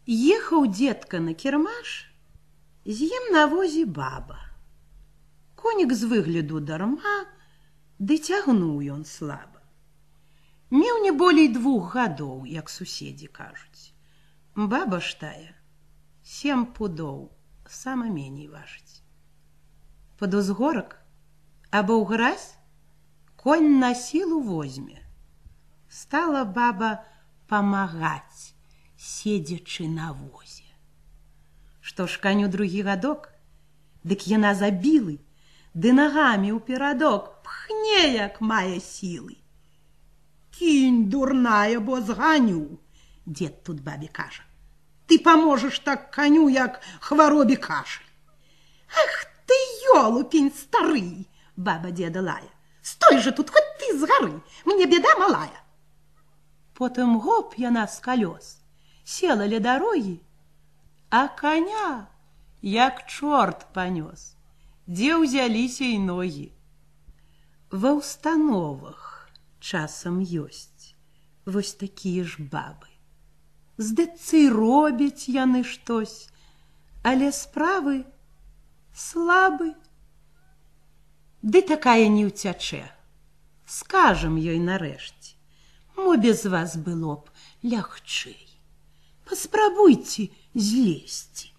Ехаў дзедка на кірмаш, з ім на возе баба. Конік з выгляду дарма, ды цягнуў ён слаба. Меў не болей 2 гадоў, як суседзі кажуць. Баба ж тая 7 пудоў, сама меней важыць. Пад узгорак або ў гразь конь на сілу возьме. Стала баба памагаць, седзячы на возе. Што ж каню 2 гадок, дык яна забілы, ды нагамі ў перадок пхне, як мае сілы. Кінь, дурная, бо зганю, дзед тут бабе кажа. Ты паможаш так каню, як хваробе кашаль. Ах ты, ёлупень стары, баба дзеда лая. Стой же тут, хоть ты з гары, мне беда малая. Потым гоп яна з калёс, села ля дарогі, а коня як чорт панёс, дзе ўзяліся і ногі. Ва ўстановах часам ёсць вось такія ж бабы. Здацца, робяць яны штось, але справы слабы. Ды такая не ўцячэ, скажам ёй нарэшце, мо без вас было б лягчэй. Паспрабуйце злезці.